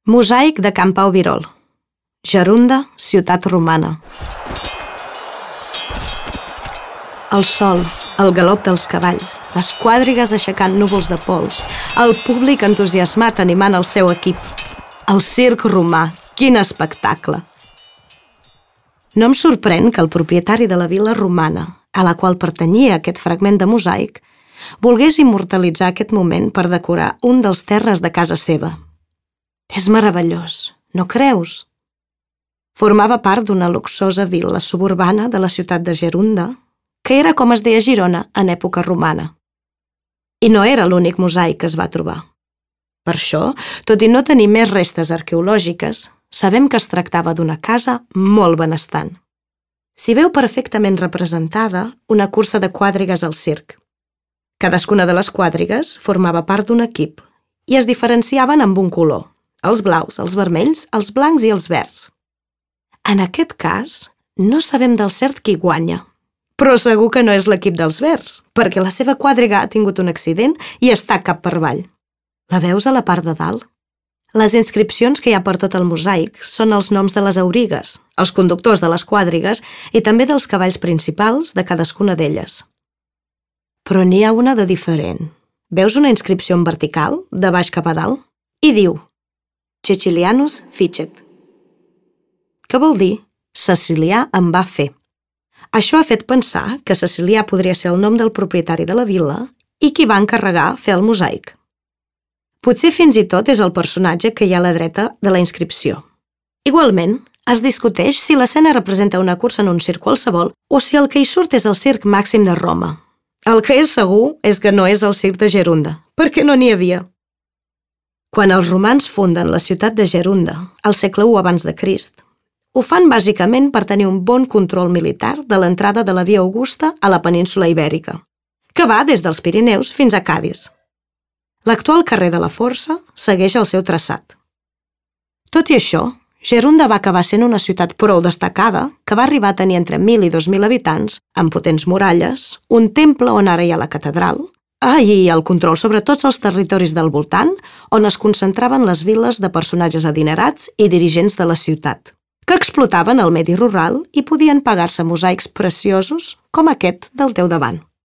Mosaic de Can Pau Virol. Gerunda, ciutat romana. El sol, el galop dels cavalls, les quadrigues aixecant núvols de pols, el públic entusiasmat animant el seu equip. El circ romà, quin espectacle! No em sorprèn que el propietari de la vila romana, a la qual pertanyia aquest fragment de mosaic, volgués immortalitzar aquest moment per decorar un dels terres de casa seva. És meravellós, no creus? Formava part d'una luxosa vil·la suburbana de la ciutat de Gerunda, que era com es deia Girona en època romana. I no era l'únic mosaic que es va trobar. Per això, tot i no tenir més restes arqueològiques, sabem que es tractava d'una casa molt benestant. S'hi veu perfectament representada una cursa de quadrigues al circ. Cadascuna de les quadrigues formava part d'un equip i es diferenciaven amb un color, els blaus, els vermells, els blancs i els verds. En aquest cas, no sabem del cert qui guanya, però segur que no és l'equip dels verds, perquè la seva quadriga ha tingut un accident i està cap per avall. La veus a la part de dalt? Les inscripcions que hi ha per tot el mosaic són els noms de les aurigues, els conductors de les quadrigues i també dels cavalls principals de cadascuna d'elles. Però n'hi ha una de diferent. Veus una inscripció en vertical, de baix cap a dalt? I diu Cecilianus Ficet. Què vol dir? Cecilià en va fer. Això ha fet pensar que Cecilià podria ser el nom del propietari de la vila i qui va encarregar fer el mosaic. Potser fins i tot és el personatge que hi ha a la dreta de la inscripció. Igualment, es discuteix si l'escena representa una cursa en un circ qualsevol o si el que hi surt és el circ màxim de Roma. El que és segur és que no és el circ de Gerunda, perquè no n'hi havia. Quan els romans funden la ciutat de Gerunda, al segle I abans de Crist, ho fan bàsicament per tenir un bon control militar de l'entrada de la via Augusta a la península Ibèrica, que va des dels Pirineus fins a Cadis. L'actual carrer de la Força segueix el seu traçat. Tot i això, Gerunda va acabar sent una ciutat prou destacada que va arribar a tenir entre 1.000 i 2.000 habitants, amb potents muralles, un temple on ara hi ha la catedral, i el control sobre tots els territoris del voltant, on es concentraven les vil·les de personatges adinerats i dirigents de la ciutat, que explotaven el medi rural i podien pagar-se mosaics preciosos com aquest del teu davant.